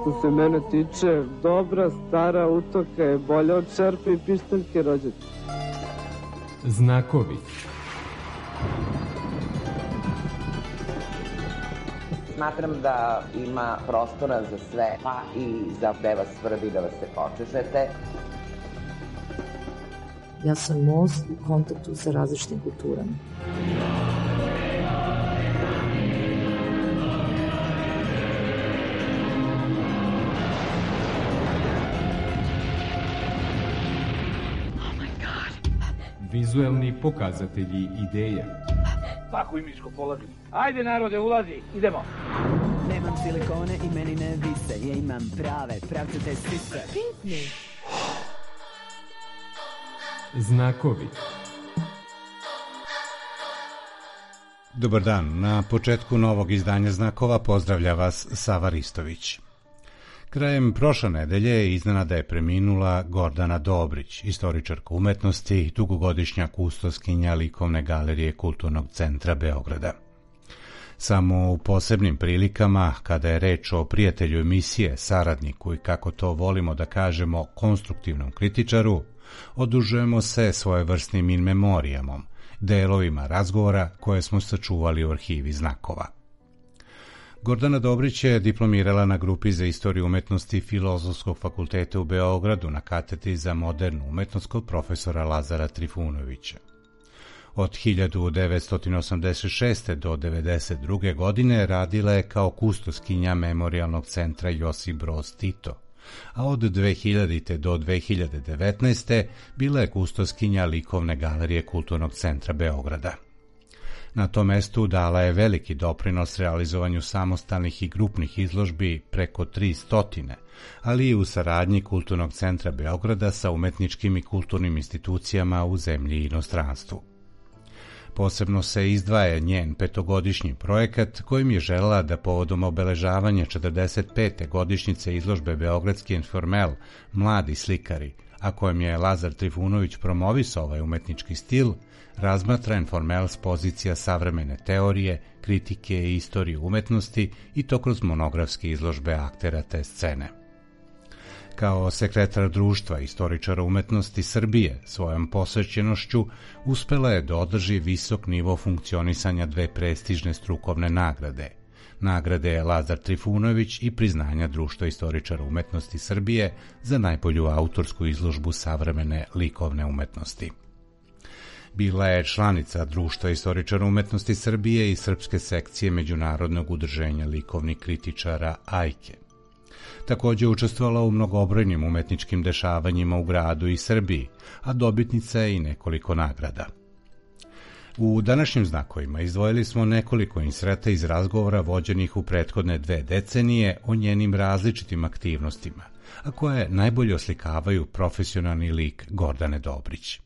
Što se mene tiče, dobra stara utoka je bolja od šerpe i pištaljke rođaka. Znakovi. Smatram da ima prostora za sve, pa i za gde vas svrbi da vas se počešete. Ja sam most u kontaktu sa različitim kulturama. Vizuelni pokazatelji ideja. Svaku imičko položim. Ajde narode, ulazi, idemo. Nemam silikone i meni ne vise, ja imam prave, pravcate sise. Pinkni. Znakovi. Dobar dan, na početku novog izdanja Znakova pozdravlja vas Sava Ristović. Krajem prošle nedelje iznenada je preminula Gordana Dobrić, istoričarka umetnosti, dugogodišnja kustoskinja Likovne galerije Kulturnog centra Beograda. Samo u posebnim prilikama, kada je reč o prijatelju emisije, saradniku i, kako to volimo da kažemo, konstruktivnom kritičaru, odužujemo se svojevrsnim in memorijamom, delovima razgovora koje smo sačuvali u arhivi Znakova. Gordana Dobrić je diplomirala na grupi za istoriju umetnosti Filozofskog fakulteta u Beogradu na katedri za modernu umetnost kod profesora Lazara Trifunovića. Od 1986. do 1992. godine radila je kao kustoskinja Memorijalnog centra Josip Broz Tito, a od 2000. do 2019. bila je kustoskinja Likovne galerije Kulturnog centra Beograda. Na tom mestu dala je veliki doprinos realizovanju samostalnih i grupnih izložbi preko 300, ali i u saradnji Kulturnog centra Beograda sa umetničkim i kulturnim institucijama u zemlji i inostranstvu. Posebno se izdvaja njen petogodišnji projekat kojim je želela da povodom obeležavanja 45. godišnjice izložbe Beogradski informel Mladi slikari, a kojem je Lazar Trifunović promovisao ovaj umetnički stil, razmatra informel s pozicija savremene teorije, kritike i istorije umetnosti i to kroz monografske izložbe aktera te scene. Kao sekretar društva istoričara umetnosti Srbije svojom posvećenošću uspela je da održi visok nivo funkcionisanja dve prestižne strukovne nagrade. Nagrade Lazar Trifunović i priznanja Društva istoričara umetnosti Srbije za najbolju autorsku izložbu savremene likovne umetnosti. Bila je članica Društva istoričara umetnosti Srbije i srpske sekcije Međunarodnog udruženja likovnih kritičara AIKE. Također učestvovala u mnogobrojnim umetničkim dešavanjima u gradu i Srbiji, a dobitnica je i nekoliko nagrada. U današnjim Znakovima izdvojili smo nekoliko insreta iz razgovora vođenih u prethodne 2 decenije o njenim različitim aktivnostima, a koje najbolje oslikavaju profesionalni lik Gordane Dobrić.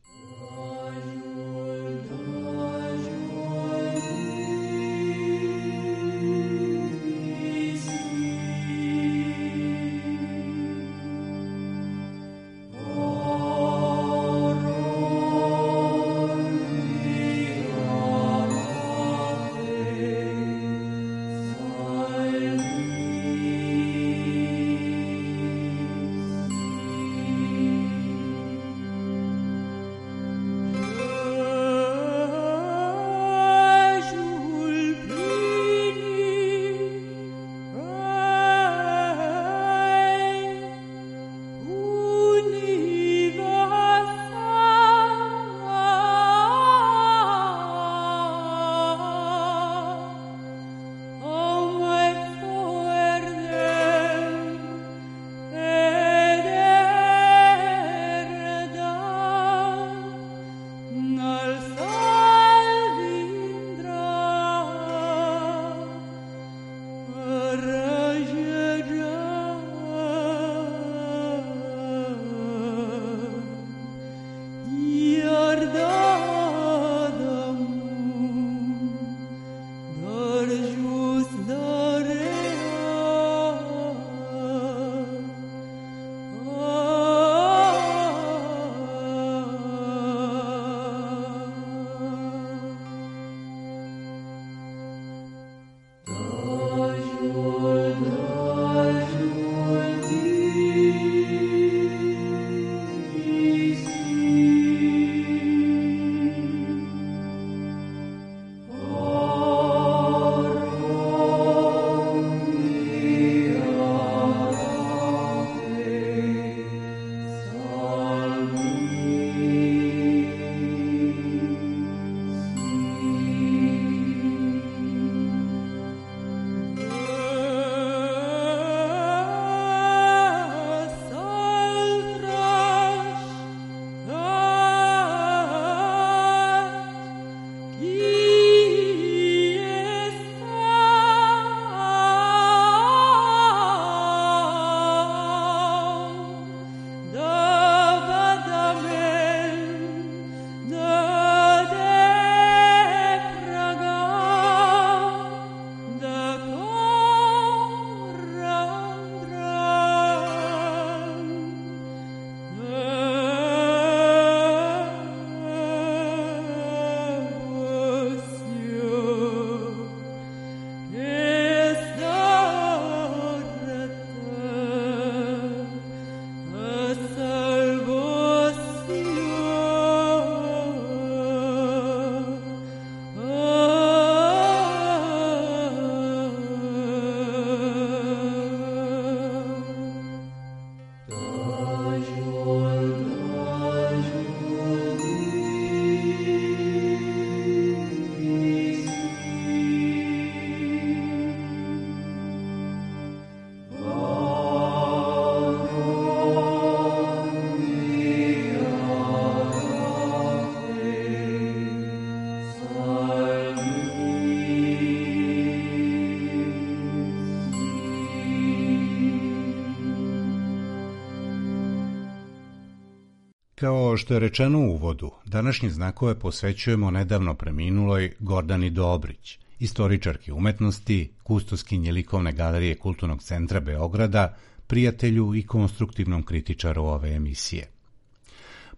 Kao što je rečeno u uvodu, današnje znakove posvećujemo nedavno preminuloj Gordani Dobrić, istoričarki umetnosti, kustoskinje likovne galerije Kulturnog centra Beograda, prijatelju i konstruktivnom kritičaru ove emisije.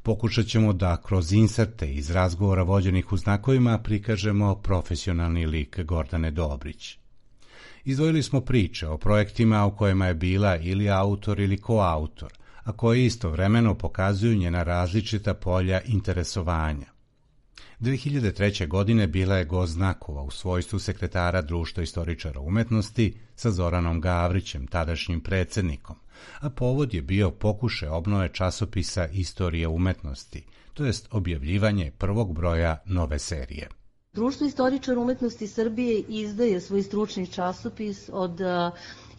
Pokušat ćemo da kroz inserte iz razgovora vođenih u znakovima prikažemo profesionalni lik Gordane Dobrić. Izdvojili smo priče o projektima u kojima je bila ili autor ili koautor, a koji istovremeno pokazuju njena različita polja interesovanja. 2003. godine bila je gost znakova u svojstvu sekretara Društva istoričara umetnosti sa Zoranom Gavrićem, tadašnjim predsjednikom, a povod je bio pokušaj obnove časopisa Istorije umetnosti, to jest objavljivanje prvog broja nove serije. Društvo istoričara umetnosti Srbije izdaje svoj stručni časopis od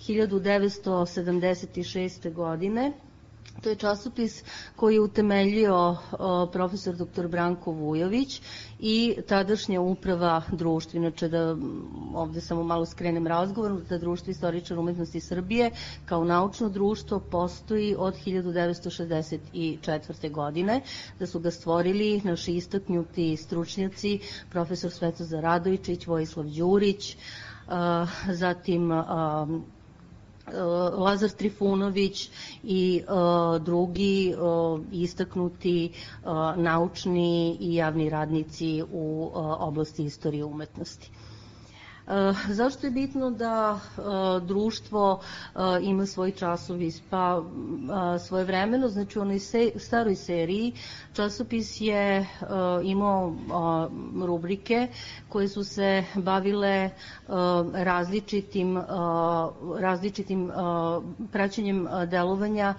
1976. godine. To je časopis koji je utemeljio profesor dr. Branko Vujović i tadašnja uprava društva. Inače, da ovde samo malo skrenem razgovor, da Društvo istoričara umetnosti Srbije kao naučno društvo postoji od 1964. godine, da su ga stvorili naši istaknuti stručnjaci, profesor Svetozar Radovičić, Vojislav Đurić, zatim Lazar Trifunović i drugi istaknuti naučni i javni radnici u oblasti istorije umetnosti. Zašto je bitno da društvo ima svoj časopis? Pa svojevremeno, znači u onoj staroj seriji, časopis je imao rubrike koje su se bavile različitim praćenjem delovanja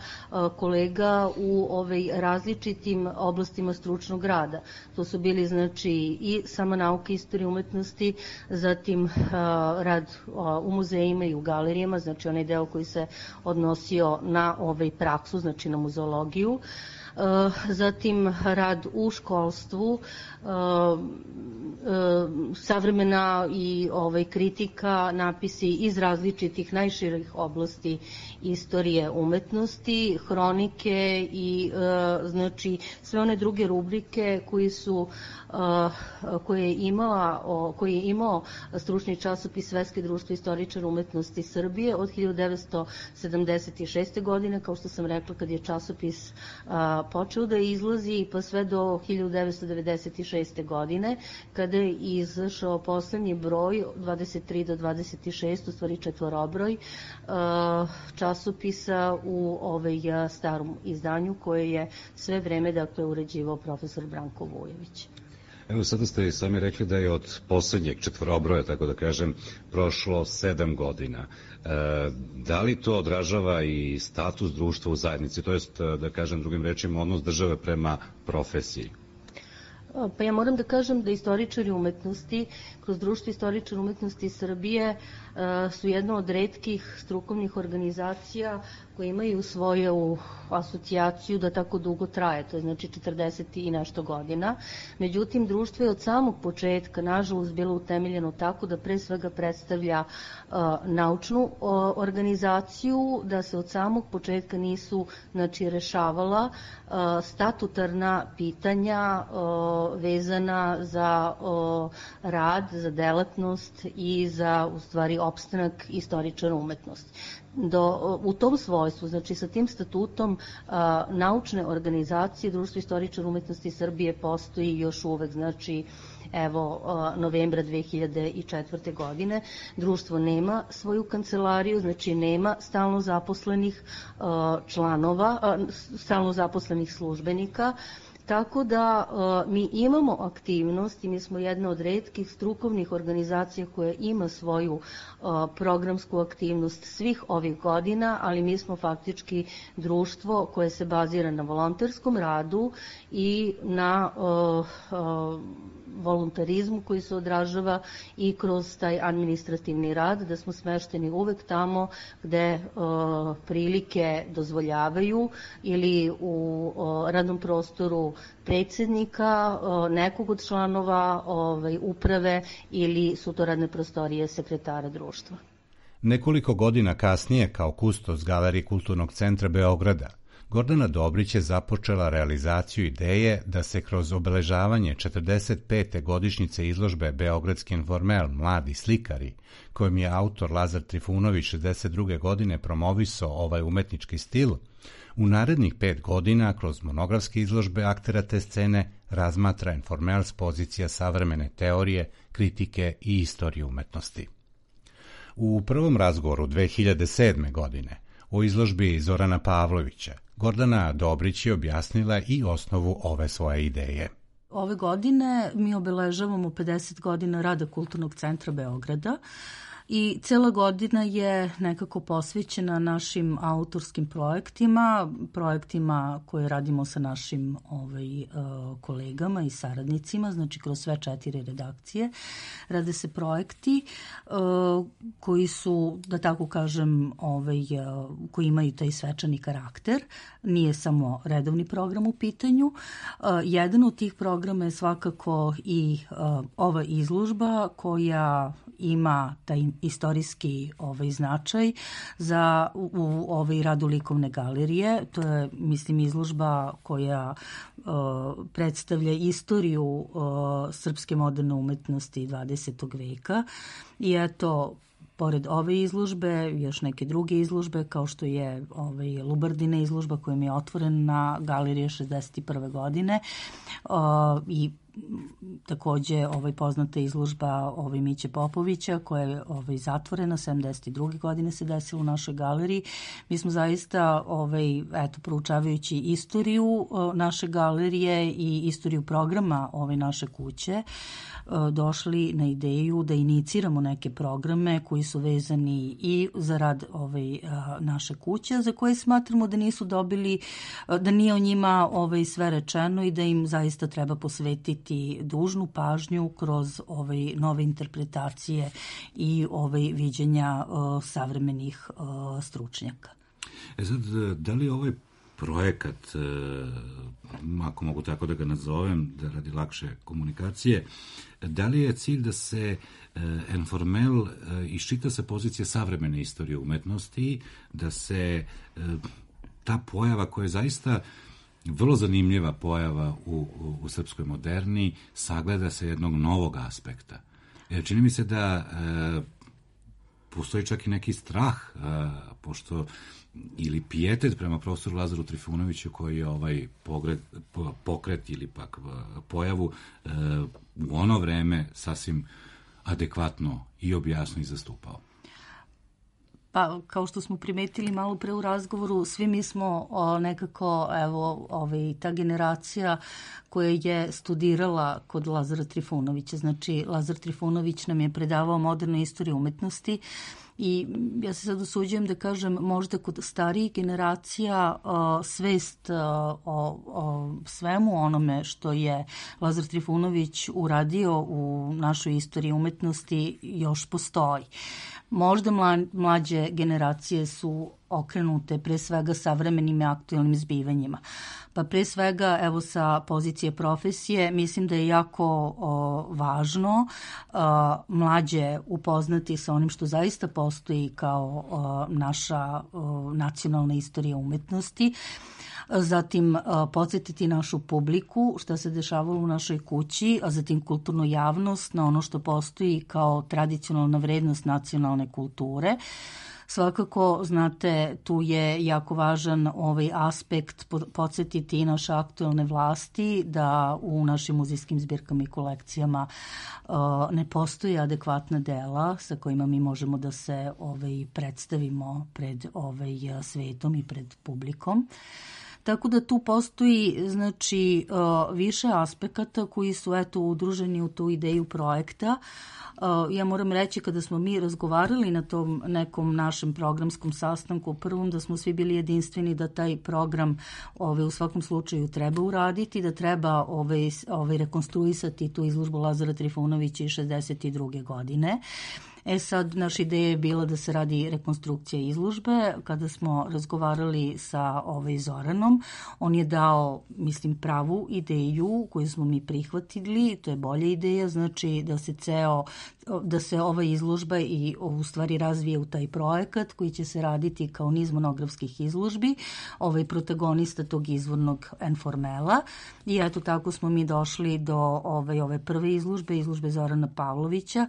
kolega u različitim oblastima stručnog rada. To su bili znači i sama nauka istorije umetnosti, zatim rad u muzejima i u galerijama, znači onaj deo koji se odnosio na praksu, znači na muzeologiju, zatim rad u školstvu, savremena i kritika, napisi iz različitih najširih oblasti istorije umetnosti, hronike i znači sve one druge rubrike koje je imao stručni časopis Svetske društvo istoričara umetnosti Srbije od 1976. godine, kao što sam rekla, kad je časopis počeo da izlazi, pa sve do 1996. godine, kada je izašao poslednji broj, 23 do 26, u stvari četvorobroj, časopisa u starom izdanju koje je sve vreme uređivao profesor Branko Vujović. Evo, sada ste i sami rekli da je od poslednjeg četvorobroja, tako da kažem, prošlo 7 godina. Da li to odražava i status društva u zajednici, to jest, da kažem drugim rečima, odnos države prema profesiji? Pa ja moram da kažem da istoričari umetnosti, kroz Društvo istoričara umetnosti Srbije, su jedna od retkih strukovnih organizacija koje imaju svoju asocijaciju da tako dugo traje, to je znači 40 i nešto godina. Međutim, društvo je od samog početka, nažalost, bilo utemeljeno tako da pre svega predstavlja naučnu organizaciju, da se od samog početka nisu rešavala statutarna pitanja vezana za rad, za delatnost i za, u stvari, opstanak istoričara umetnosti. U tom svojstvu, znači sa tim statutom naučne organizacije Društvo istoričara umetnosti Srbije postoji još uvek, znači evo novembra 2004. godine. Društvo nema svoju kancelariju, znači nema stalno zaposlenih članova, stalno zaposlenih službenika. Tako da mi imamo aktivnost i mi smo jedna od retkih strukovnih organizacija koja ima svoju programsku aktivnost svih ovih godina, ali mi smo faktički društvo koje se bazira na volonterskom radu i na voluntarizmu koji se odražava i kroz taj administrativni rad, da smo smešteni uvek tamo gde prilike dozvoljavaju ili u radnom prostoru predsjednika, nekog od članova uprave ili su to radne prostorije sekretara društva. Nekoliko godina kasnije, kao kustos Galerije Kulturnog centra Beograda, Gordana Dobrić je započela realizaciju ideje da se kroz obeležavanje 45. godišnjice izložbe Beogradski informel Mladi slikari, kojim je autor Lazar Trifunović 62. godine promovisao ovaj umetnički stil, u narednih 5 godina kroz monografske izložbe aktera te scene razmatra informel s pozicija savremene teorije, kritike i istorije umetnosti. U prvom razgovoru 2007. godine o izložbi Zorana Pavlovića, Gordana Dobrić je objasnila i osnovu ove svoje ideje. Ove godine mi obeležavamo 50 godina rada Kulturnog centra Beograda i cela godina je nekako posvećena našim autorskim projektima koje radimo sa našim kolegama i saradnicima, znači kroz sve 4 redakcije. Rade se projekti koji su, da tako kažem, koji imaju taj svečani karakter. Nije samo redovni program u pitanju. Jedan od tih programa je svakako i ova izložba koja ima taj istorijski značaj za u radu likovne galerije. To je, mislim, izložba koja predstavlja istoriju srpske moderne umetnosti 20. veka. I eto, pored ove izložbe, još neke druge izložbe, kao što je Lubardina izložba koja mi je otvorena na galerije 61. godine i takođe poznata izložba Miće Popovića koja je zatvorena 72. godine se desila u našoj galeriji. Mi smo zaista proučavajući istoriju naše galerije i istoriju programa naše kuće došli na ideju da iniciramo neke programe koji su vezani i za rad naše kuće, za koje smatramo da nisu dobili, da nije o njima sve rečeno i da im zaista treba posvetiti dužnu pažnju kroz nove interpretacije i viđenja savremenih stručnjaka. Sad, da li ovaj projekat, ako mogu tako da ga nazovem, da radi lakše komunikacije, da li je cilj da se informel iščita sa pozicije savremene istorije umetnosti, da se ta pojava koja je zaista vrlo zanimljiva pojava u srpskoj moderni sagleda sa jednog novog aspekta? Čini mi se da postoji čak i neki strah, pošto ili pijetet prema profesoru Lazaru Trifunoviću koji je pokret ili pak pojavu u ono vreme sasvim adekvatno i objasno i zastupao. Pa, kao što smo primetili malo pre u razgovoru, svi mi smo nekako, ta generacija koja je studirala kod Lazara Trifunovića. Znači, Lazar Trifunović nam je predavao modernu istoriju umetnosti i ja se sad usuđujem da kažem, možda kod starijih generacija svest o svemu onome što je Lazar Trifunović uradio u našoj istoriji umetnosti još postoji. Možda mlađe generacije su okrenute pre svega savremenim i aktualnim zbivanjima. Pa pre svega, evo sa pozicije profesije, mislim da je jako važno mlađe upoznati sa onim što zaista postoji kao naša nacionalna istorija umetnosti, zatim podsjetiti našu publiku šta se dešavalo u našoj kući, a zatim kulturnu javnost na ono što postoji kao tradicionalna vrednost nacionalne kulture. Svakako, znate, tu je jako važan aspekt podsjetiti i naše aktualne vlasti da u našim muzejskim zbirkama i kolekcijama ne postoji adekvatna dela sa kojima mi možemo da se predstavimo pred svetom i pred publikom. Tako da tu postoji, znači, više aspekata koji su udruženi u tu ideju projekta. Ja moram reći, kada smo mi razgovarali na tom nekom našem programskom sastanku, prvom da smo svi bili jedinstveni da taj program u svakom slučaju treba uraditi, da treba rekonstruisati tu izložbu Lazara Trifunovića iz 62. godine. Sad, naša ideja je bila da se radi rekonstrukcija izložbe. Kada smo razgovarali sa Zoranom, on je dao, mislim, pravu ideju koju smo mi prihvatili. To je bolja ideja, znači da se da se ova izložba i u stvari razvije u taj projekat koji će se raditi kao niz monografskih izložbi, protagonista tog izvornog Enformela. I eto tako smo mi došli do ove prve izložbe Zorana Pavlovića,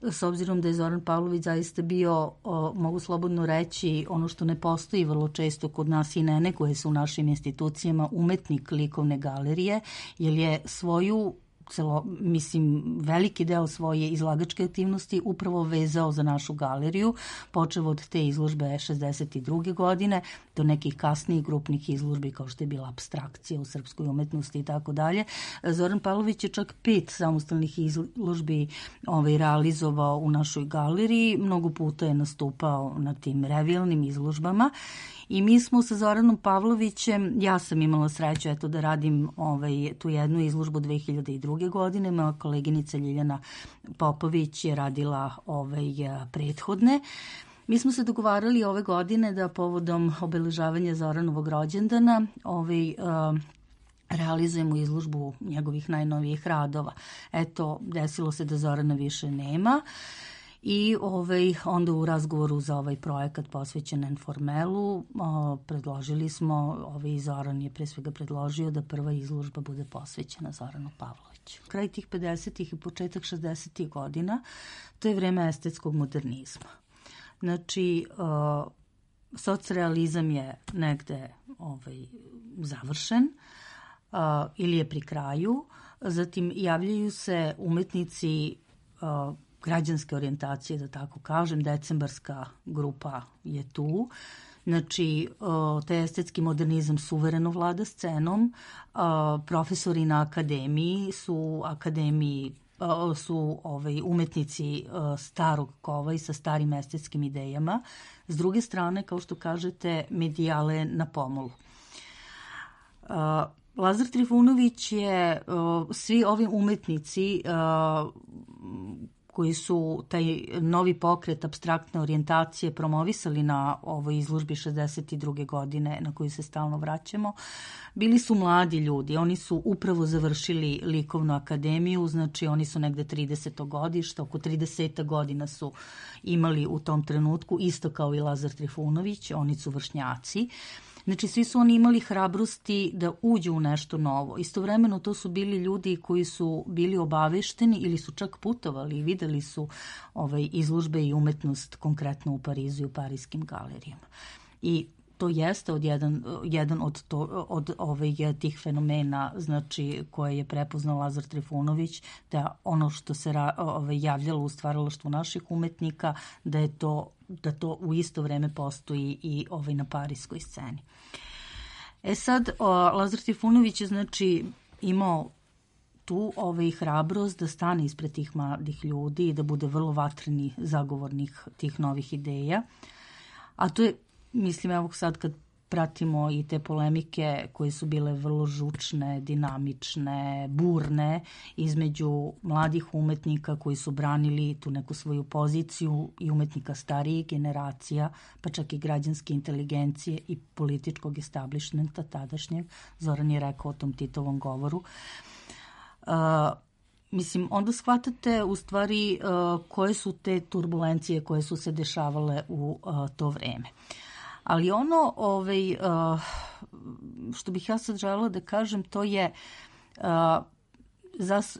s obzirom da je Zoran Pavlović zaista bio, mogu slobodno reći, ono što ne postoji vrlo često kod nas i ne neguje se u našim institucijama, umetnik likovne galerije, jer je svoju veliki deo svoje izlagačke aktivnosti upravo vezao za našu galeriju, počev od te izložbe 62. godine do nekih kasnijih grupnih izložbi kao što je bila Apstrakcija u srpskoj umetnosti i tako dalje. Zoran Pavlović je čak 5 samostalnih izložbi realizovao u našoj galeriji, mnogo puta je nastupao na tim revijalnim izložbama. I mi smo sa Zoranom Pavlovićem, ja sam imala sreću da radim tu jednu izložbu 2002. godine, moja koleginica Ljiljana Popović je radila prethodne. Mi smo se dogovarali ove godine da povodom obeležavanja Zoranovog rođendana realizujemo izložbu njegovih najnovijih radova. Eto, desilo se da Zorana više nema. I onda u razgovoru za ovaj projekat posvećen Enformelu predložili smo, Zoran je pre svega predložio da prva izložba bude posvećena Zoranu Pavloviću. Kraj tih 50. i početak 60. godina, to je vreme estetskog modernizma. Znači, socrealizam je negde završen ili je pri kraju, zatim javljaju se umetnici građanske orijentacije, da tako kažem, decembarska grupa je tu. Znači, taj estetski modernizam suvereno vlada scenom. Profesori na akademiji su umetnici starog kova i sa starim estetskim idejama. S druge strane, kao što kažete, medijale na pomolu. Lazar Trifunović je, svi ovi umetnici koji su taj novi pokret apstraktne orijentacije promovisali na ovoj izložbi 62. godine na koju se stalno vraćamo, bili su mladi ljudi. Oni su upravo završili likovnu akademiju, znači oni su negde 30. godišta, oko 30 godina su imali u tom trenutku, isto kao i Lazar Trifunović, oni su vršnjaci. Znači, svi su oni imali hrabrosti da uđu u nešto novo. Istovremeno to su bili ljudi koji su bili obavešteni ili su čak putovali i videli su izložbe i umetnost konkretno u Parizu i u parijskim galerijama. I to jeste jedan od tih fenomena, znači, koje je prepoznao Lazar Trifunović, da ono što se javljalo u stvaralaštvu naših umetnika, da to u isto vreme postoji i na parijskoj sceni. Sad, Lazar Trifunović je, znači, imao tu hrabrost da stane ispred tih mladih ljudi i da bude vrlo vatreni zagovornik tih novih ideja. A to je, mislim, evo sad kad pratimo i te polemike koje su bile vrlo žučne, dinamične, burne između mladih umetnika koji su branili tu neku svoju poziciju i umetnika starijih generacija, pa čak i građanske inteligencije i političkog establishmenta tadašnjeg. Zoran je rekao o tom Titovom govoru. Mislim, onda shvatate u stvari koje su te turbulencije koje su se dešavale u to vreme. Ali ono što bih ja sad želela da kažem, to je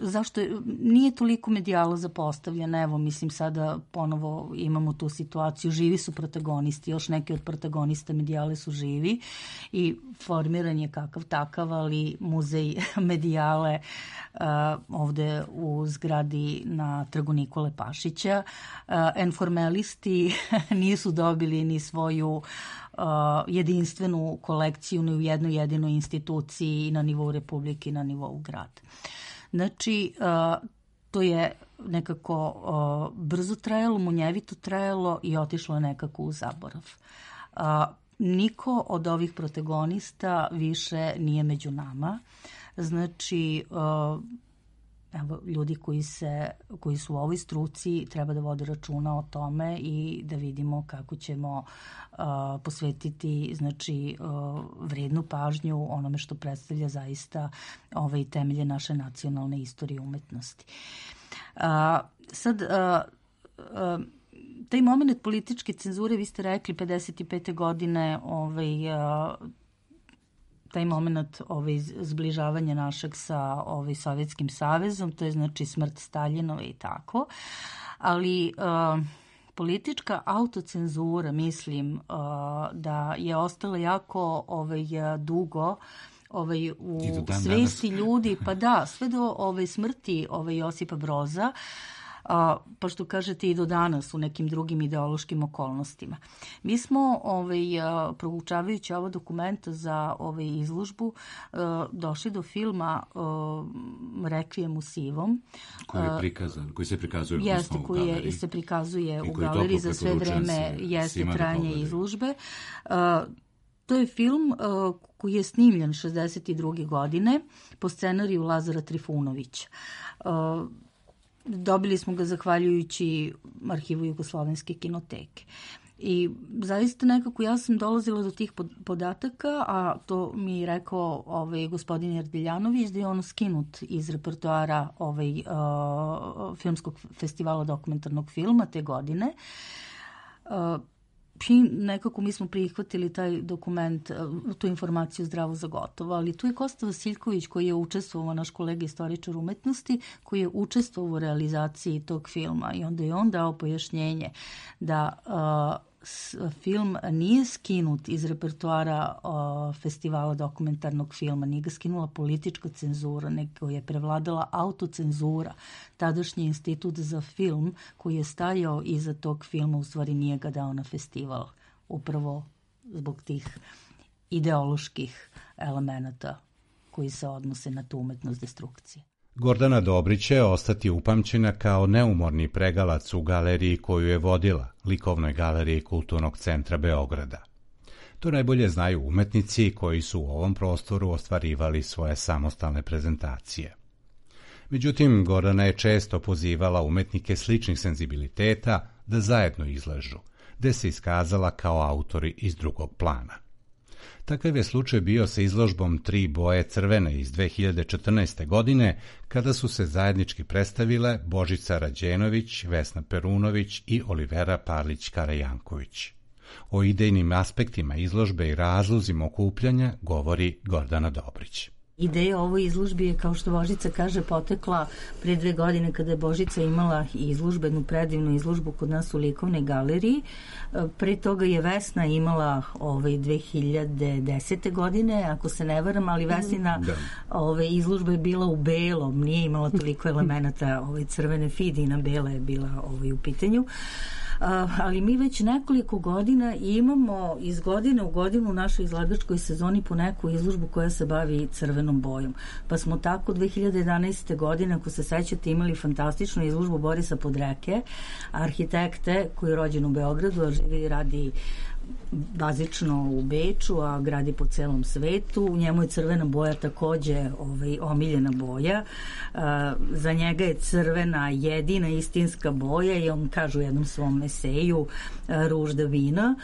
zašto nije toliko medijala zapostavljena. Evo, mislim, sada ponovo imamo tu situaciju, živi su protagonisti, još neki od protagonista medijale su živi i formiran je kakav takav, ali muzej medijale ovde u zgradi na Trgu Nikole Pašića. Enformelisti nisu dobili ni svoju jedinstvenu kolekciju ni u jednoj jedinoj instituciji na nivou Republike i na nivou grada. Znači, to je nekako brzo trajalo, munjevito trajalo i otišlo nekako u zaborav. Niko od ovih protagonista više nije među nama. Znači, evo, ljudi koji su u ovoj struci treba da vode računa o tome i da vidimo kako ćemo posvetiti, znači, vrednu pažnju onome što predstavlja zaista temelje naše nacionalne istorije umetnosti. Sad, taj moment političke cenzure, vi ste rekli 55. godine, taj moment zbližavanja našeg sa Sovjetskim savezom, to je znači smrt Staljinova i tako, ali politička autocenzura, mislim da je ostala jako dugo u svesti ljudi, pa da, sve do smrti Josipa Broza, pa što kažete i do danas u nekim drugim ideološkim okolnostima. Mi smo, proučavajući ovo dokumenta za izložbu, došli do filma Rekvijem u sivom. Koji se prikazuje jeste, koji se prikazuje u galeriji za sve vreme jeste trajanje izložbe. To je film koji je snimljen 62. godine po scenariju Lazara Trifunovića. Dobili smo ga zahvaljujući arhivu Jugoslovenske kinoteke. I zaista nekako ja sam dolazila do tih podataka, a to mi je rekao gospodin Erdeljanović, da je on skinut iz repertoara filmskog festivala dokumentarnog filma te godine. I nekako mi smo prihvatili taj dokument, tu informaciju zdravo za gotovo, ali tu je Kosta Vasiljković koji je učestvovao, naš kolega istoričar umetnosti, koji je učestvovao u realizaciji tog filma i onda je on dao pojašnjenje da film nije skinut iz repertoara festivala dokumentarnog filma, nije ga skinula politička cenzura, nego je prevladala autocenzura. Tadašnji institut za film koji je stajao iza tog filma u stvari nije ga dao na festival, upravo zbog tih ideoloških elemenata koji se odnose na tu umetnost destrukcije. Gordana Dobrić će ostati upamćena kao neumorni pregalac u galeriji koju je vodila, likovnoj galeriji Kulturnog centra Beograda. To najbolje znaju umetnici koji su u ovom prostoru ostvarivali svoje samostalne prezentacije. Međutim, Gordana je često pozivala umetnike sličnih senzibiliteta da zajedno izlažu, gde se iskazala kao autori iz drugog plana. Takav je slučaj bio sa izložbom 3 boje crvene iz 2014. godine, kada su se zajednički predstavile Božica Rađenović, Vesna Perunović i Olivera Parlić-Karajanković. O idejnim aspektima izložbe i razlozima okupljanja govori Gordana Dobrić. Ideja ovoj izložbi je, kao što Božica kaže, potekla pre 2 godine kada je Božica imala izložbenu predivnu izložbu kod nas u likovnoj galeriji. Pre toga je Vesna imala 2010. godine, ako se ne varam, ali Vesnina izložba je bila u belom, nije imala toliko elemenata crvene fidina, bela je bila u pitanju. Ali mi već nekoliko godina imamo iz godine u godinu u našoj izlagačkoj sezoni po neku izložbu koja se bavi crvenom bojom. Pa smo tako 2011. godine, ako se sećate, imali fantastičnu izložbu Borisa Podreke, arhitekte koji je rođen u Beogradu, a živi i radi bazično u Beču, a gradi po celom svetu. U njemu je crvena boja takođe omiljena boja. Za njega je crvena jedina istinska boja i on kaže u jednom svom eseju Ružda vina.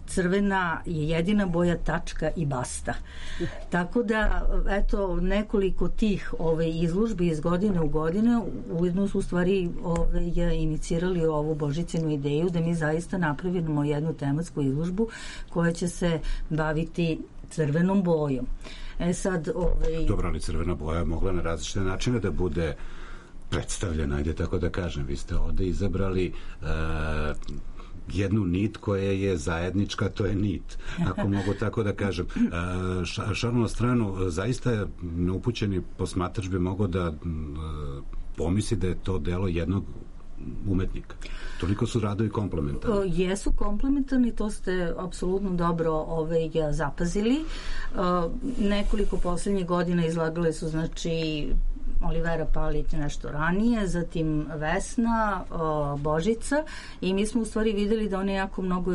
Crvena je jedina boja, tačka i basta. Tako da, eto, nekoliko tih izložbi iz godine u godinu ujedno su u stvari inicirali ovu Božicinu ideju da mi zaista napravimo jednu tematsku izložbu koja će se baviti crvenom bojom. Sad, Dobro, ali crvena boja je mogla na različite načine da bude predstavljena, ajde tako da kažem. Vi ste ovde izabrali jednu nit koja je zajednička, to je nit, ako mogu tako da kažem. Šalu na stranu, zaista neupućeni posmatrač bi mogao da pomisli da je to delo jednog umetnika. Toliko su radovi komplementarni. Jesu komplementarni, to ste apsolutno dobro zapazili. Nekoliko poslednjih godina izlagale su, znači, Olivera Palić nešto ranije, zatim Vesna, Božica, i mi smo u stvari videli da one jako mnogo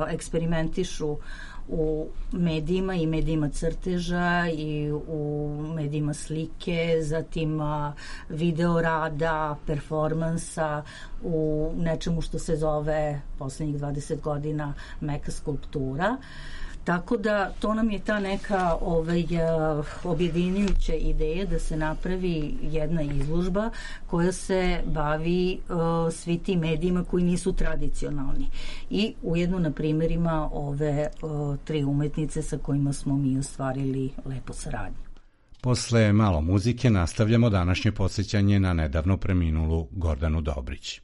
eksperimentišu u medijima i medijima crteža i u medijima slike, zatim video rada, performansa, u nečemu što se zove poslednjih 20 godina meka skulptura. Tako da to nam je ta neka objedinjujuća ideja da se napravi jedna izložba koja se bavi svi tim medijima koji nisu tradicionalni. I ujedno na primjerima ove 3 umetnice sa kojima smo mi ostvarili lepo saradnju. Posle malo muzike nastavljamo današnje podsjećanje na nedavno preminulu Gordanu Dobrić.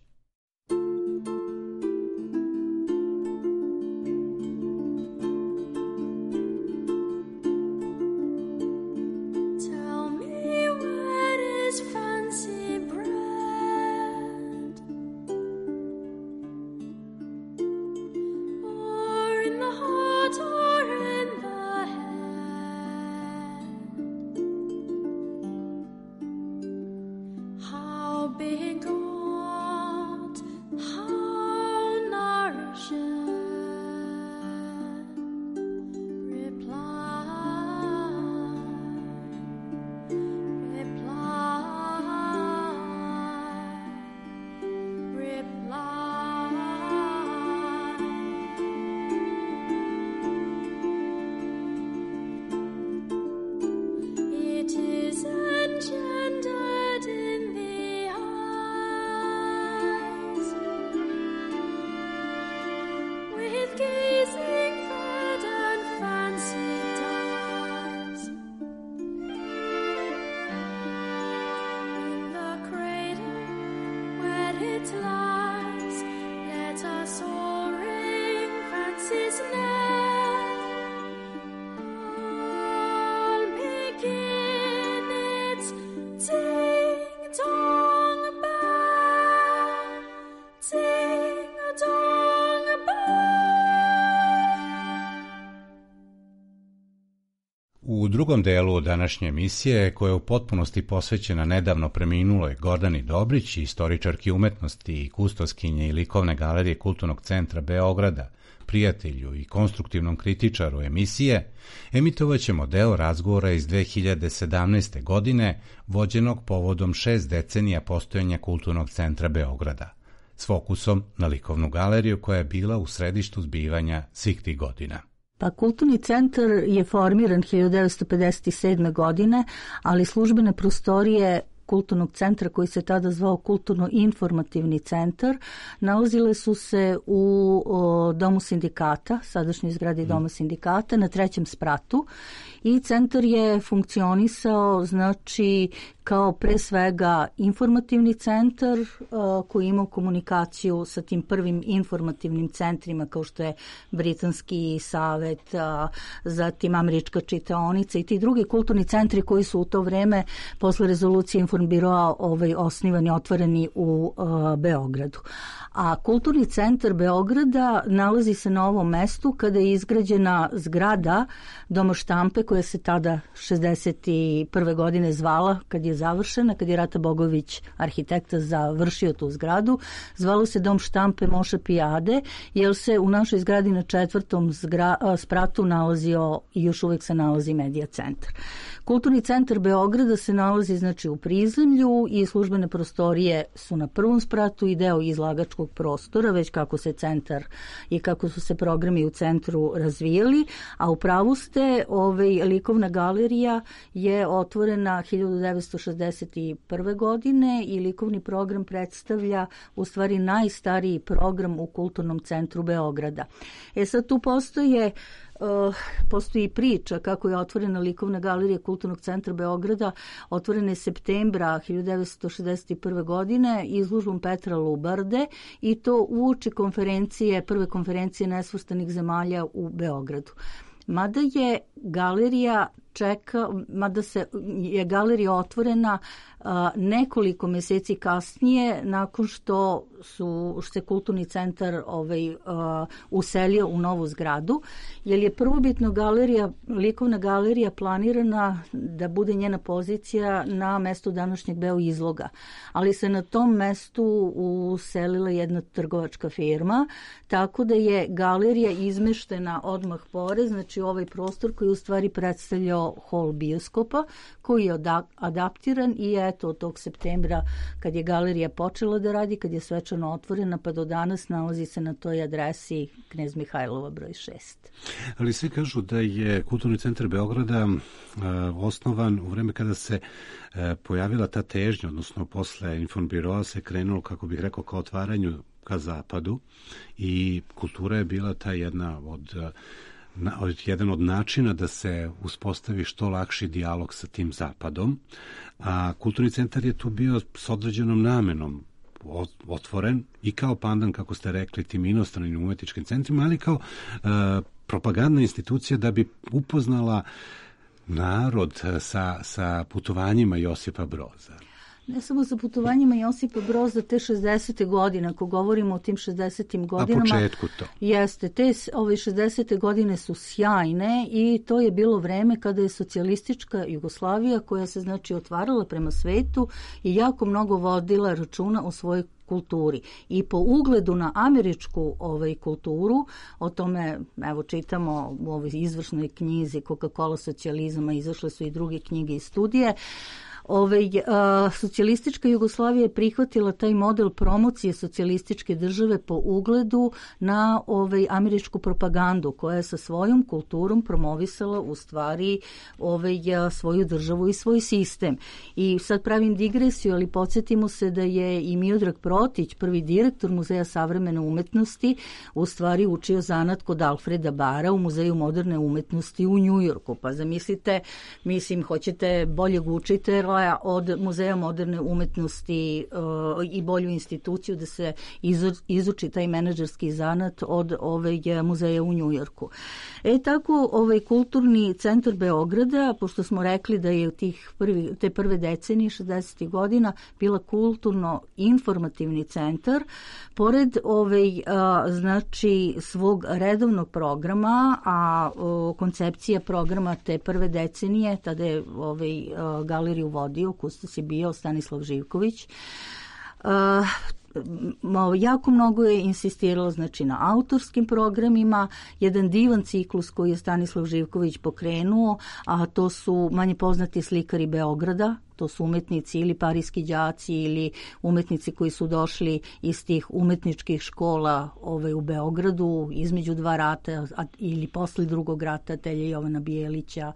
U drugom delu današnje emisije, koja je u potpunosti posvećena nedavno preminuloj Gordani Dobrić, istoričarki umetnosti i kustoskinje i likovne galerije Kulturnog centra Beograda, prijatelju i konstruktivnom kritičaru emisije, emitovaćemo deo razgovora iz 2017. godine, vođenog povodom 6 decenija postojanja Kulturnog centra Beograda, s fokusom na likovnu galeriju koja je bila u središtu zbivanja svih tih godina. Pa Kulturni centar je formiran 1957. godine, ali službene prostorije Kulturnog centra, koji se tada zvao Kulturno-informativni centar, nalazile su se u Domu sindikata, sadašnjoj zgradi Doma sindikata, na 3. spratu, i centar je funkcionisao, znači, kao pre svega informativni centar koji imao komunikaciju sa tim prvim informativnim centrima kao što je Britanski savet, zatim Američka čitaonica i ti drugi kulturni centri koji su u to vreme posle rezolucije Informbiroa osnivani, otvoreni u Beogradu. A Kulturni centar Beograda nalazi se na ovom mestu kada je izgrađena zgrada Doma štampe koja se tada 61. godine zvala, kad je završena, kad je Rata Bogović, arhitekta, završio tu zgradu. Zvalo se Dom štampe Moša Pijade, jer se u našoj zgradi na 4. spratu nalazio i još uvek se nalazi medija centar. Kulturni centar Beograda se nalazi, znači, u prizemlju i službene prostorije su na 1. spratu i deo izlagačkog prostora, već kako se centar i kako su se programi u centru razvijali, a u pravu ste, likovna galerija je otvorena 1961. godine i likovni program predstavlja u stvari najstariji program u Kulturnom centru Beograda. Sad tu postoji priča kako je otvorena likovna galerija Kulturnog centra Beograda. Otvorena je septembra 1961. godine izložbom Petra Lubarde i to uoči prve konferencije nesvrstanih zemalja u Beogradu. Mada je galerija otvorena nekoliko meseci kasnije, nakon što se Kulturni centar uselio u novu zgradu, jer je prvobitno likovna galerija planirana da bude njena pozicija na mestu današnjeg Beo izloga, ali se na tom mestu uselila jedna trgovačka firma, tako da je galerija izmeštena odmah pored, znači ovaj prostor koji u stvari predstavljao kao hol bioskopa koji je adaptiran i eto od tog septembra kad je galerija počela da radi, kad je svečano otvorena pa do danas nalazi se na toj adresi Knez Mihajlova broj 6. Ali svi kažu da je Kulturni centar Beograda osnovan u vreme kada se pojavila ta težnja, odnosno posle Informbiroa se krenulo, kako bih rekao, ka otvaranju ka zapadu i kultura je bila ta jedan od načina da se uspostavi što lakši dijalog sa tim zapadom, a Kulturni centar je tu bio s određenom namenom otvoren i kao pandan, kako ste rekli, tim inostranim umetničkim centrima, ali kao propagandna institucija da bi upoznala narod sa putovanjima Josipa Broza. Ne samo sa putovanjima Josipa Broza, te 60. godine, ako govorimo o tim 60. godinama. A početku to. Jeste, te 60. godine su sjajne i to je bilo vreme kada je socijalistička Jugoslavija, koja se znači otvarala prema svetu i jako mnogo vodila računa o svojoj kulturi. I po ugledu na američku kulturu, o tome evo čitamo u ovoj izvršnoj knjizi Coca-Cola socijalizama, izašle su i druge knjige i studije. Socijalistička Jugoslavija je prihvatila taj model promocije socijalističke države po ugledu na američku propagandu koja je sa svojom kulturom promovisala u stvari svoju državu i svoj sistem. I sad pravim digresiju, ali podsjetimo se da je i Miodrag Protić, prvi direktor Muzeja savremene umetnosti, u stvari učio zanat kod Alfreda Bara u Muzeju moderne umetnosti u Njujorku. Pa zamislite, hoćete boljeg učitelja od Muzeja moderne umetnosti i bolju instituciju da se izuči taj menadžerski zanat od muzeja u Njujorku. Tako Kulturni centar Beograda, pošto smo rekli da je te prve decenije 60. godina bila kulturno-informativni centar, pored znači svog redovnog programa, a koncepcija programa te prve decenije, tada je galeriju vodio, kustos je bio Stanislav Živković. Jako mnogo je insistiralo znači na autorskim programima, jedan divan ciklus koji je Stanislav Živković pokrenuo, a to su manje poznati slikari Beograda, to su umetnici ili parijski đaci ili umetnici koji su došli iz tih umetničkih škola u Beogradu između dva rata ili posle drugog rata, atelje Jovana Bijelića,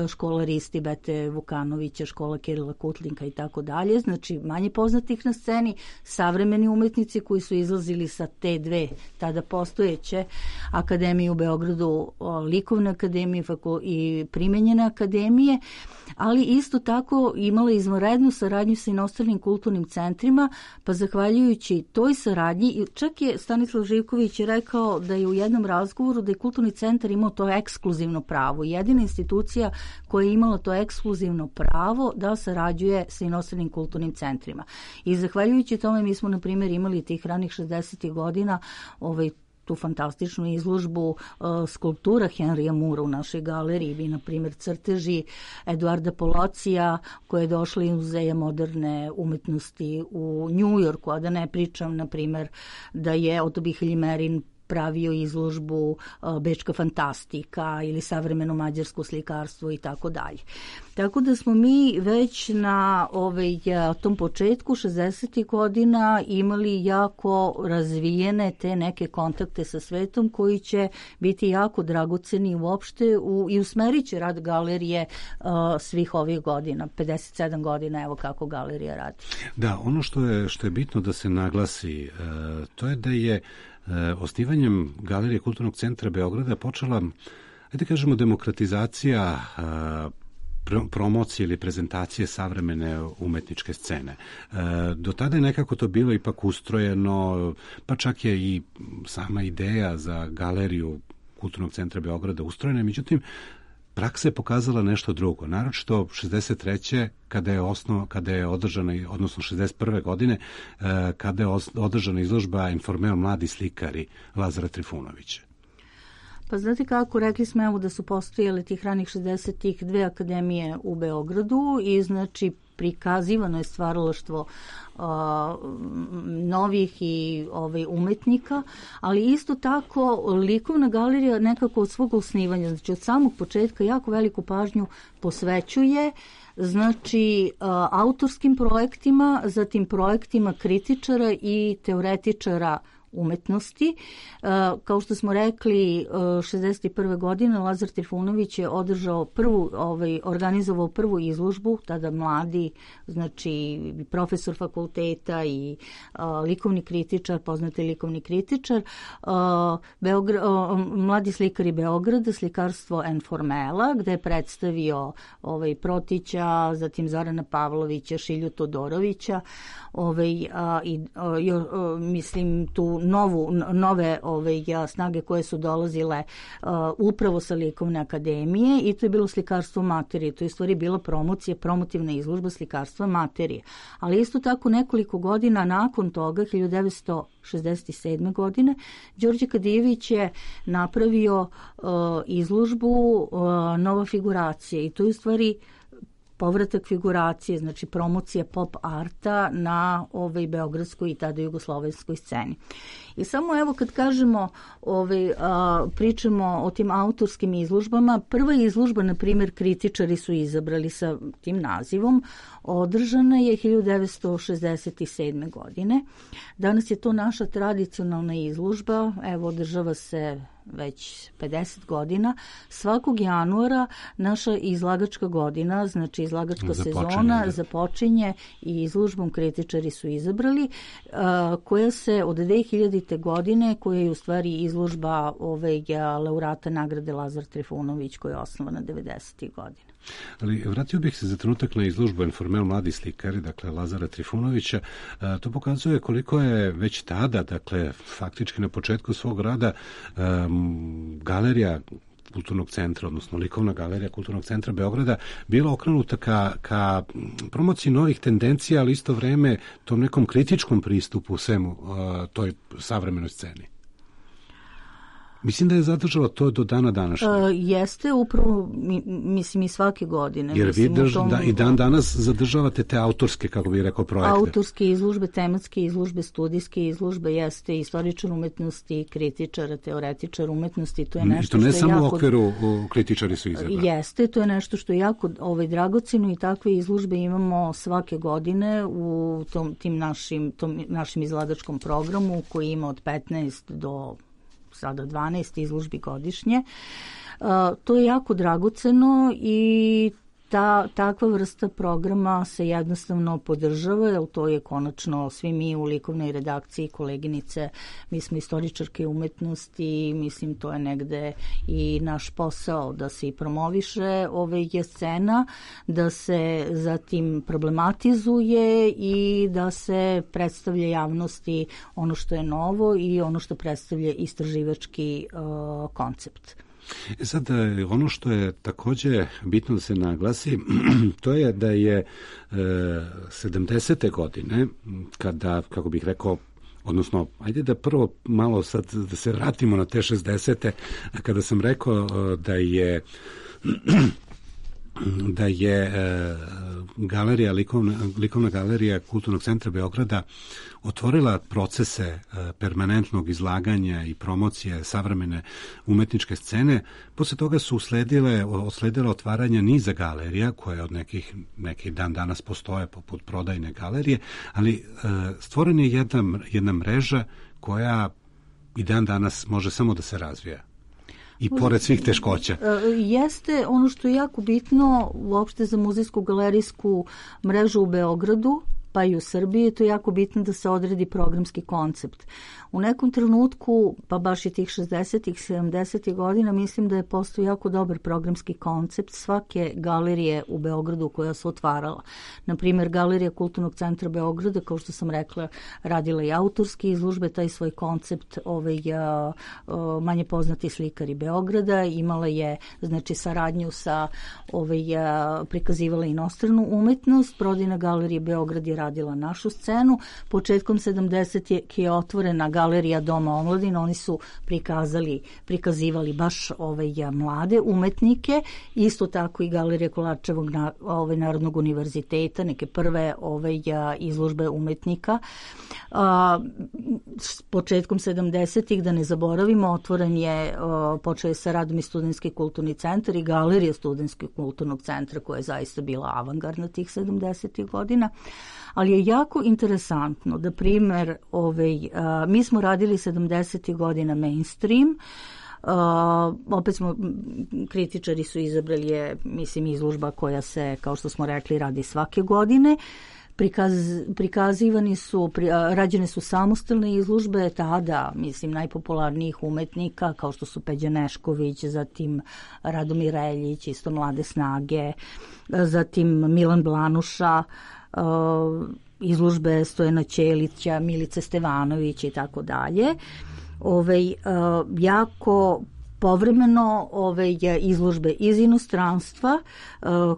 škola Risti Bete Vukanovića, škola Kirila Kutlinka i tako dalje. Znači manje poznatih na sceni, savremeni umetnici koji su izlazili sa te dve tada postojeće akademije u Beogradu, likovne akademije i primenjene akademije, ali isto tako imala izvanrednu saradnju sa inostranim kulturnim centrima, pa zahvaljujući toj saradnji, čak je Stanislav Živković rekao da je u jednom razgovoru da je Kulturni centar imao to ekskluzivno pravo. Jedina institucija koja je imala to ekskluzivno pravo da sarađuje sa inostranim kulturnim centrima. I zahvaljujući tome mi smo, na primjer, imali tih ranih 60. godina tu fantastičnu izložbu skulptura Henrya Moora u našoj galeriji i, na primjer, crteži Eduarda Polocija koje je došla iz Muzeja moderne umetnosti u Njujorku, a da ne pričam, na primjer, da je Otto Bihelj-Merin pravio izložbu Bečka fantastika ili savremeno mađarsko slikarstvo i tako dalje. Tako da smo mi već na tom početku 60. godina imali jako razvijene te neke kontakte sa svetom koji će biti jako dragoceni uopšte i usmerit će rad galerije svih ovih godina, 57 godina, evo kako galerija radi. Da, ono što je bitno da se naglasi, to je da je osnivanjem Galerije Kulturnog centra Beograda počela, ajde kažemo, demokratizacija promocije ili prezentacije savremene umetničke scene. Do tada je nekako to bilo ipak ustrojeno, pa čak je i sama ideja za Galeriju Kulturnog centra Beograda ustrojena, međutim, praksa je pokazala nešto drugo, naročito 63. kada je održana, odnosno 61. godine, kada je održana izložba Informeo mladi slikari Lazara Trifunovića. Pa znate kako, rekli smo evo da su postojale tih ranih 60-ih dve akademije u Beogradu i znači prikazivano je stvaralaštvo novih i umetnika, ali isto tako likovna galerija nekako od svog osnivanja, znači od samog početka jako veliku pažnju posvećuje znači autorskim projektima, zatim projektima kritičara i teoretičara umetnosti. Kao što smo rekli, 61. godine Lazar Trifunović je organizovao prvu izložbu, tada mladi, znači profesor fakulteta i likovni kritičar, poznati likovni kritičar, mladi slikari Beograda, slikarstvo Enformela, gde je predstavio Protića, zatim Zorana Pavlovića, Šilju Todorovića, mislim tu nove snage koje su dolazile upravo sa Likovne akademije, i to je bilo slikarstvo materije. To je u stvari bila promotivna izložba slikarstva materije. Ali isto tako nekoliko godina nakon toga, 1967. godine, Đorđe Kadijević je napravio izložbu Nova figuracija, i to je u stvari povratak figuracije, znači promocija pop arta na beogradskoj i tada jugoslovenskoj sceni. I samo evo kad kažemo, pričamo o tim autorskim izložbama, prva izložba, na primjer, kritičari su izabrali sa tim nazivom, održana je 1967. godine. Danas je to naša tradicionalna izložba, evo održava se već 50 godina. Svakog januara naša izlagačka godina, znači izlagačka sezona započinje i izložbom kritičari su izabrali, koja se od 2000. godine, koja je u stvari izložba laureata nagrade Lazar Trifunović, koja je osnovana 90. godine. Ali vratio bih se za trenutak na izložbu Enformel mladi slikari, dakle Lazara Trifunovića. To pokazuje koliko je već tada, dakle faktički na početku svog rada, galerija Kulturnog centra, odnosno likovna galerija Kulturnog centra Beograda bila okrenuta ka promociji novih tendencija, ali isto vreme tom nekom kritičkom pristupu svemu toj savremenoj sceni. Mislim da je zadržala to do dana današnjeg. Jeste, upravo, mislim i svake godine. Jer vi i dan danas zadržavate te autorske, kako bih rekao, projekte. Autorske izložbe, tematske izložbe, studijske izložbe, jeste istoričar umetnosti, kritičar, teoretičar umetnosti. To je nešto I to ne samo u okviru kritičari su izabrali. Jeste, to je nešto što je jako dragoceno, i takve izložbe imamo svake godine u tom našim izlagačkom programu, koji ima od 15 do sada 12 izložbi godišnje. To je jako dragoceno i takva vrsta programa se jednostavno podržava, jer to je konačno svi mi u likovnoj redakciji, koleginice, mi smo istoričarke umetnosti, mislim to je negde i naš posao da se i promoviše scena, da se zatim problematizuje i da se predstavlja javnosti ono što je novo i ono što predstavlja istraživački koncept. Sad, ono što je takođe bitno da se naglasi, to je da je 70. godine, kada, kako bih rekao, odnosno, ajde da prvo malo sad da se vratimo na te 60. kada sam rekao da je galerija, likovna galerija Kulturnog centra Beograda otvorila procese permanentnog izlaganja i promocije savremene umetničke scene. Posle toga su usledila otvaranja niza galerija, koje od nekih dan danas postoje poput prodajne galerije, ali stvorena je jedna mreža koja i dan danas može samo da se razvija. I pored svih teškoća. Jeste ono što je jako bitno uopšte za muzejsku galerijsku mrežu u Beogradu, pa i u Srbiji, to je jako bitno da se odredi programski koncept. U nekom trenutku, pa baš i tih 60-ih, 70-ih godina, mislim da je postao jako dobar programski koncept svake galerije u Beogradu koja se otvarala. Naprimjer, galerija Kulturnog centra Beograda, kao što sam rekla, radila i autorske izložbe, taj svoj koncept manje poznati slikari Beograda, imala je znači saradnju sa prikazivala inostranu umetnost, prodajna galerija Beograd je radila našu scenu. Početkom 70. je otvorena galerija Doma omladine, oni su prikazivali baš mlade umetnike, isto tako i galerija Kolarčevog Narodnog univerziteta, neke prve izložbe umetnika. S početkom 70. da ne zaboravimo, počeo je sa radom i Studentski kulturni centar i galerija Studentskog kulturnog centra koja je zaista bila avangardna tih 70. godina. Ali je jako interesantno da primer, mi smo radili 70. godina mainstream, opet kritičari su izabrali izložba koja se, kao što smo rekli, radi svake godine. Rađene su samostalne izložbe tada, najpopularnijih umetnika kao što su Peđa Nešković, zatim Radomir Reljić, isto Mlade snage, zatim Milan Blanuša, izložbe Stojana Ćelića, Milice Stevanović i tako dalje. Jako povremeno izložbe iz inostranstva,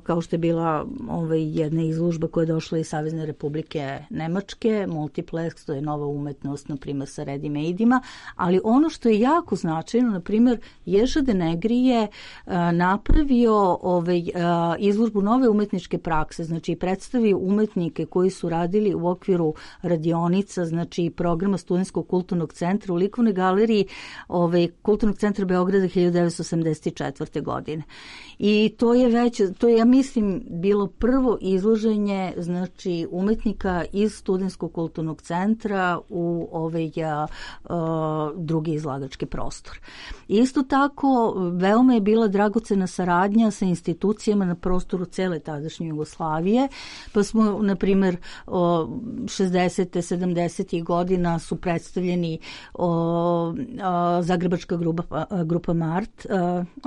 kao što je bila jedna izložba koja je došla iz Savezne Republike Nemačke, Multiplex, to je nova umetnost, na primjer, sa ready-made-ima, ali ono što je jako značajno, na primjer, Ježa de Negri je napravio izložbu nove umetničke prakse, znači predstavio umetnike koji su radili u okviru radionica, znači programa Studentskog kulturnog centra u likovnoj galeriji Kulturnog centra Beograda 1984. godine. I to je ja mislim, bilo prvo izloženje, znači, umetnika iz Studentskog kulturnog centra u drugi izlagački prostor. Isto tako, veoma je bila dragocena saradnja sa institucijama na prostoru cele tadašnje Jugoslavije, pa smo, na primjer, 60. 70. godina su predstavljeni Zagrebačka grupa Mart,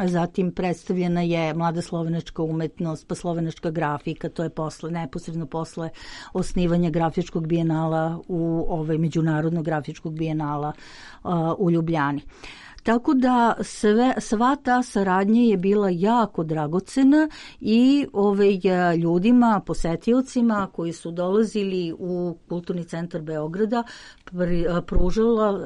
zatim predstavljena je mlada slovenačka umetnost, pa slovenačka grafika, to je neposredno posle osnivanja grafičkog bijenala međunarodnog grafičkog bijenala u Ljubljani. Tako da sva ta saradnja je bila jako dragocena i ljudima, posetiocima koji su dolazili u Kulturni centar Beograda pružala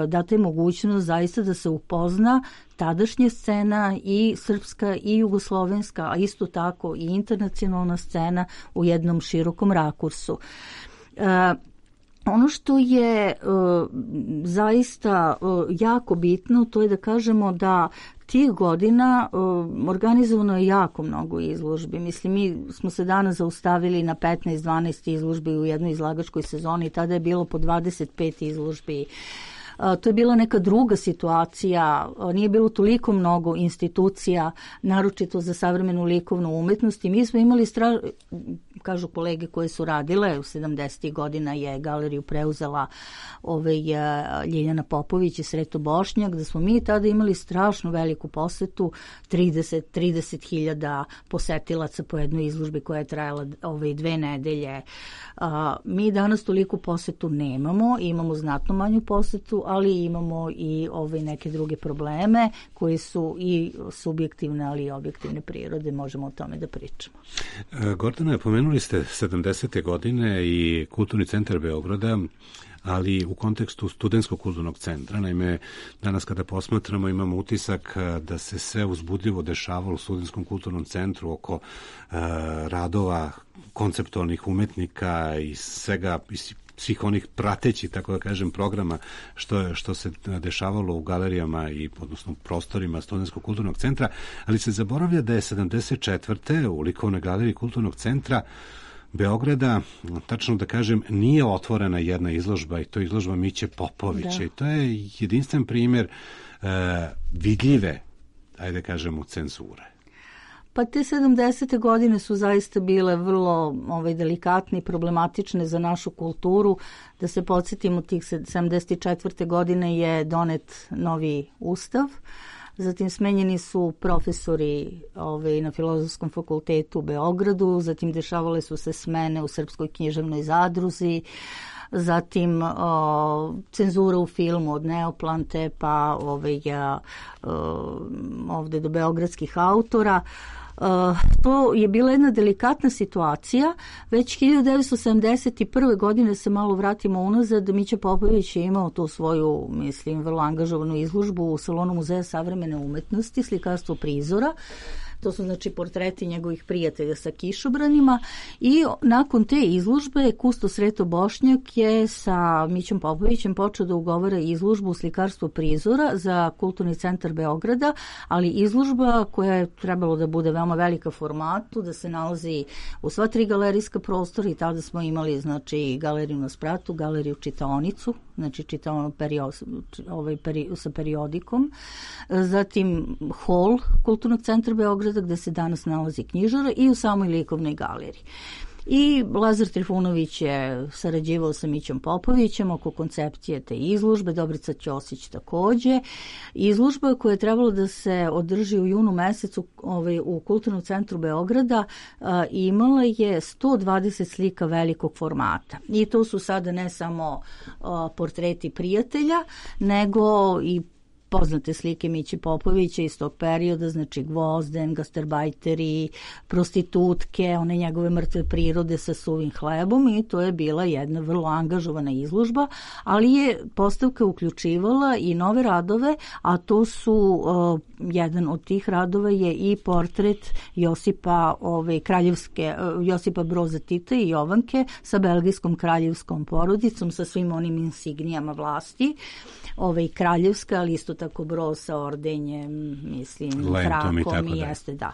data je mogućnost zaista da se upozna tadašnja scena i srpska i jugoslovenska, a isto tako i internacionalna scena u jednom širokom rakursu. Ono što je zaista jako bitno, to je da kažemo da tih godina organizovano je jako mnogo izložbi. Mislim, mi smo se danas zaustavili na 15-12 izložbi u jednoj izlagačkoj sezoni, tada je bilo po 25 izložbi. To je bila neka druga situacija, nije bilo toliko mnogo institucija, naročito za savremenu likovnu umetnost i mi smo imali kažu kolege koje su radile, u 70. godina je galeriju preuzela Ljiljana Popović i Sreto Bošnjak, da smo mi tada imali strašno veliku posetu, 30.000 posetilaca po jednoj izložbi koja je trajala 2 nedelje. Mi danas toliko posetu nemamo, imamo znatno manju posetu, ali imamo i neke druge probleme koji su i subjektivne, ali i objektivne prirode, možemo o tome da pričamo. Gordana, pomenuli ste 70. godine i Kulturni centar Beograda, ali u kontekstu Studentskog kulturnog centra. Naime, danas kada posmatramo imamo utisak da se sve uzbudljivo dešavalo u Studentskom kulturnom centru oko radova konceptualnih umetnika i svih onih pratećih, tako da kažem, programa što se dešavalo u galerijama i odnosno prostorima Studentskog kulturnog centra, ali se zaboravlja da je 74. u likovnoj galeriji Kulturnog centra Beograda, tačno da kažem, nije otvorena jedna izložba i to je izložba Miće Popovića i to je jedinstven primjer vidljive, ajde kažemo, cenzure. Pa te 70. godine su zaista bile vrlo delikatne i problematične za našu kulturu. Da se podsjetimo, tih 74. godine je donet novi ustav, zatim smenjeni su profesori na Filozofskom fakultetu u Beogradu, zatim dešavale su se smene u Srpskoj književnoj zadruzi, zatim cenzura u filmu od Neoplante pa ovde do beogradskih autora. To je bila jedna delikatna situacija. Već 1971. godine, se malo vratimo unazad, Mića Popović je imao tu svoju, mislim, vrlo angažovanu izložbu u Salonu Muzeja savremene umetnosti, slikarstvo prizora. To su znači portreti njegovih prijatelja sa kišobranima i nakon te izložbe kustos Sreto Bošnjak je sa Mićom Popovićem počeo da ugovara izložbu u slikarstvu prizora za Kulturni centar Beograda, ali izložba koja je trebalo da bude veoma velika formatu, da se nalazi u sva 3 galerijska prostora i tada smo imali znači galeriju na spratu, galeriju čitaonicu, znači čitaonu sa periodikom, zatim hol Kulturnog centra Beograda gde se danas nalazi knjižara i u samoj likovnoj galeriji. I Lazar Trifunović je sarađivao sa Mićom Popovićem oko koncepcije te izložbe, Dobrica Ćosić takođe. Izložba koja je trebalo da se održi u junu mesecu u Kulturnom centru Beograda imala je 120 slika velikog formata. I to su sada ne samo portreti prijatelja, nego i poznate slike Miće Popovića iz tog perioda, znači Gvozden, gastarbajteri, prostitutke, one njegove mrtve prirode sa suvim hlebom i to je bila jedna vrlo angažovana izložba, ali je postavka uključivala i nove radove, a to su, jedan od tih radova je i portret Josipa Broza Tita i Jovanke sa belgijskom kraljevskom porodicom, sa svim onim insignijama vlasti, kraljevska, ali isto tako Broz sa ordenjem, mislim, trakom i jeste, da.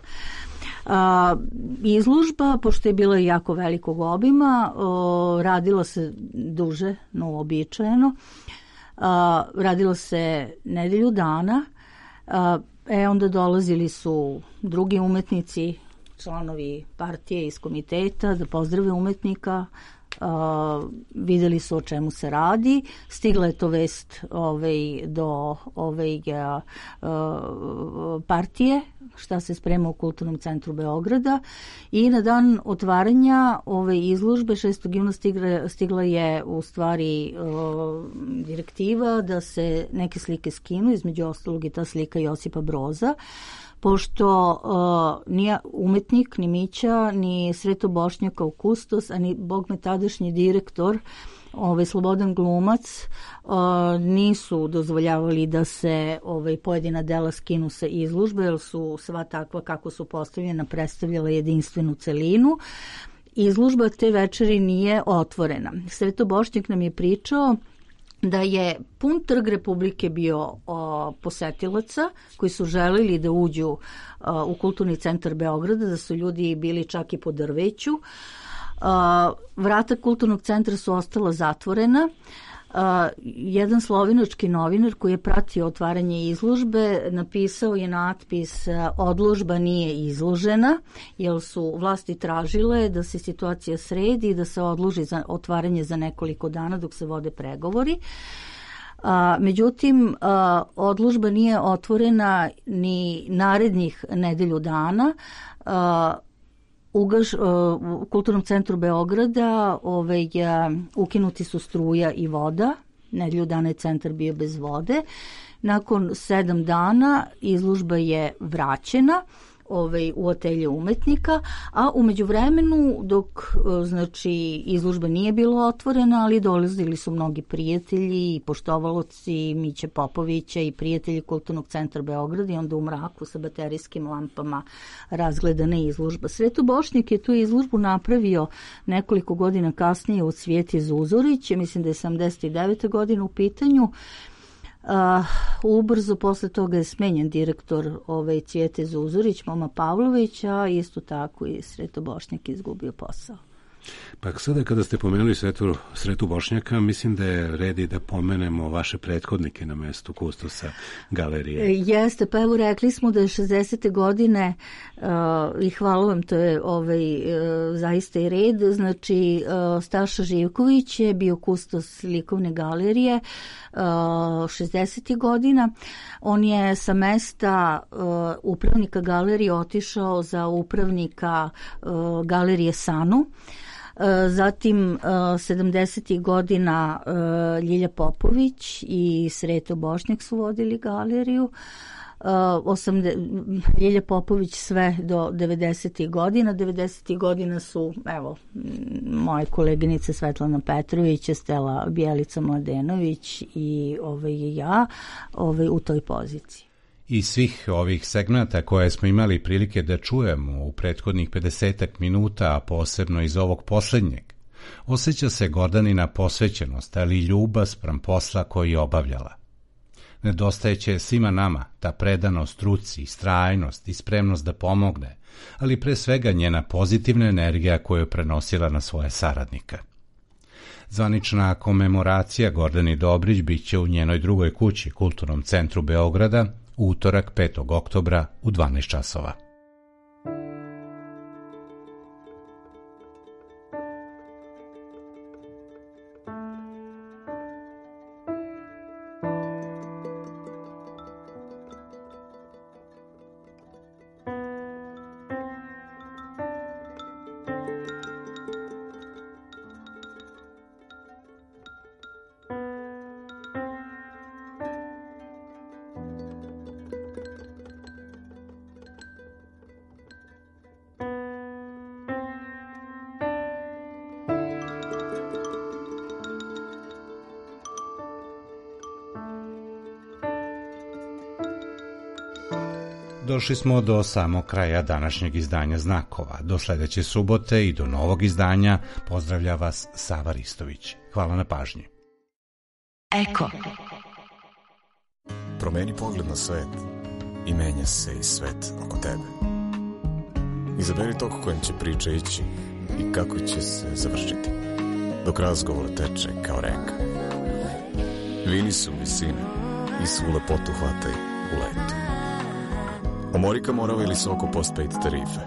Izložba, pošto je bila jako velikog obima, radila se duže, no uobičajeno, radilo se nedelju dana, onda dolazili su drugi umetnici, članovi partije iz komiteta da pozdrave umetnika, videli su o čemu se radi, stigla je to vest do partije šta se sprema u Kulturnom centru Beograda i na dan otvaranja ove izložbe 6. juna stigla je u stvari direktiva da se neke slike skinu, između ostalog i ta slika Josipa Broza, pošto nije umetnik, ni Mića, ni Sreto Bošnjak kao kustos, a ni bogme tadašnji direktor, Slobodan Glumac, nisu dozvoljavali da se pojedina dela skinu sa izložbe, jer su sva takva kako su postavljena predstavljala jedinstvenu celinu. Izložba te večeri nije otvorena. Sreto Bošnjak nam je pričao da je pun trg Republike bio posetilaca koji su želeli da uđu u Kulturni centar Beograda, da su ljudi bili čak i po drveću. Vrata Kulturnog centra su ostala zatvorena. Jedan slovenački novinar koji je pratio otvaranje izložbe napisao je natpis odložba nije izložena, jer su vlasti tražile da se situacija sredi i da se odloži za otvaranje za nekoliko dana dok se vode pregovori. Međutim, odložba nije otvorena ni narednih nedelju dana. U Kulturnom centru Beograda ukinuti su struja i voda, nedelju dana je centar bio bez vode. Nakon 7 dana izložba je vraćena u atelje umetnika, a u međuvremenu dok znači izložba nije bila otvorena, ali dolazili su mnogi prijatelji i poštovaloci Miće Popovića i prijatelji Kulturnog centra Beograda i onda u mraku sa baterijskim lampama razgledana izložba. Sreto Bošnjak je tu izložbu napravio nekoliko godina kasnije od Cvijete Zuzorić, mislim da je 79. godina u pitanju. Ubrzo posle toga je smenjen direktor Cvijete Zuzorić, Moma Pavlović, a isto tako i Sreto Bošnjak izgubio posao. Pa sada kada ste pomenuli Sretu Bošnjaka, mislim da je red i da pomenemo vaše prethodnike na mestu kustosa galerije. Jeste, pa evo rekli smo da je 60. godine i hvala vam, to je zaista i red, znači Staša Živković je bio kustos likovne galerije 60. godina. On je sa mesta upravnika galerije otišao za upravnika galerije Sanu. Zatim 70. godina Ljilja Popović i Sreto Bošnjak su vodili galeriju. Ljilja Popović sve do 90. godina. 90. godina su, evo, moje koleginice Svetlana Petrović, Stela Bjelica Mladenović i ja u toj poziciji. Iz svih ovih segmenta koje smo imali prilike da čujemo u prethodnih 50 minuta, a posebno iz ovog poslednjeg, osjeća se Gordanina posvećenost, ali i ljubav spram posla koji je obavljala. Nedostajeće svima nama ta predanost struci, istrajnost i spremnost da pomogne, ali pre svega njena pozitivna energija koju je prenosila na svoje saradnika. Zvanična komemoracija Gordani Dobrić biće u njenoj drugoj kući, Kulturnom centru Beograda, u utorak 5. oktobra u 12 časova. Došli smo do samog kraja današnjeg izdanja Znakova. Do sledeće subote i do novog izdanja pozdravlja vas Sava Ristović. Hvala na pažnji. Eko. Promeni pogled na svet i menja se i svet oko tebe. Izaberi tok kojim će priča ići i kako će se završiti, dok razgovor teče kao reka. Vini su visine i svu lepotu hvataj u letu. Omorika Morava ili Soko postpaid tarife.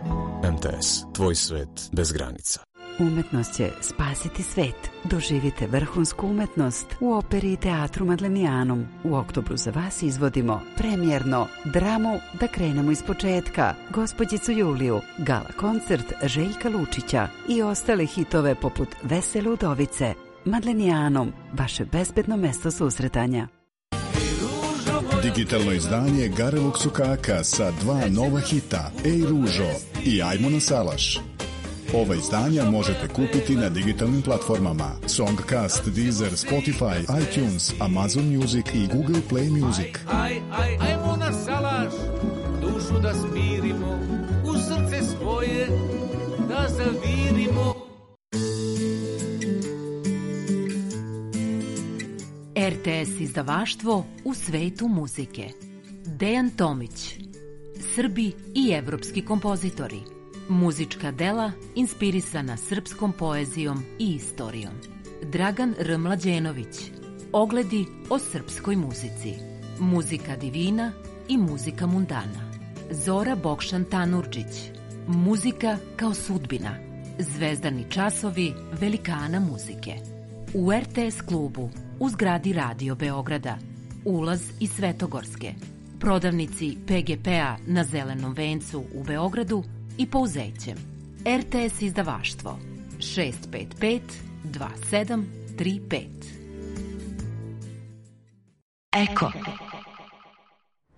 MTS, tvoj svet bez granica. Umetnost će spasiti svet. Doživite vrhunsku umetnost u operi i teatru Madlenijanum. U oktobru za vas izvodimo premijerno dramu Da krenemo iz početka, Gospođicu Juliju, gala koncert Željka Lučića i ostale hitove poput Vesele udovice. Madlenijanum, vaše bezbedno mesto susretanja. Digitalno izdanje Garevog sukaka sa 2 nova hita, Ej ružo i Ajmo na salaš. Ova izdanja možete kupiti na digitalnim platformama Songcast, Deezer, Spotify, iTunes, Amazon Music i Google Play Music. Ajmo na salaš, dušu da smirimo, u srce svoje da zavirimo. RTS izdavaštvo u svetu muzike. Dejan Tomić. Srbi i evropski kompozitori. Muzička dela inspirisana srpskom poezijom i istorijom. Dragan R. Mlađenović. Ogledi o srpskoj muzici. Muzika divina i muzika mundana. Zora Bokšan Tanurđić. Muzika kao sudbina. Zvezdani časovi velikana muzike. U RTS klubu u zgradi Radio Beograda, ulaz iz Svetogorske, prodavnici PGP-a na Zelenom vencu u Beogradu i Pouzećem. RTS izdavaštvo 655 2735. Eko.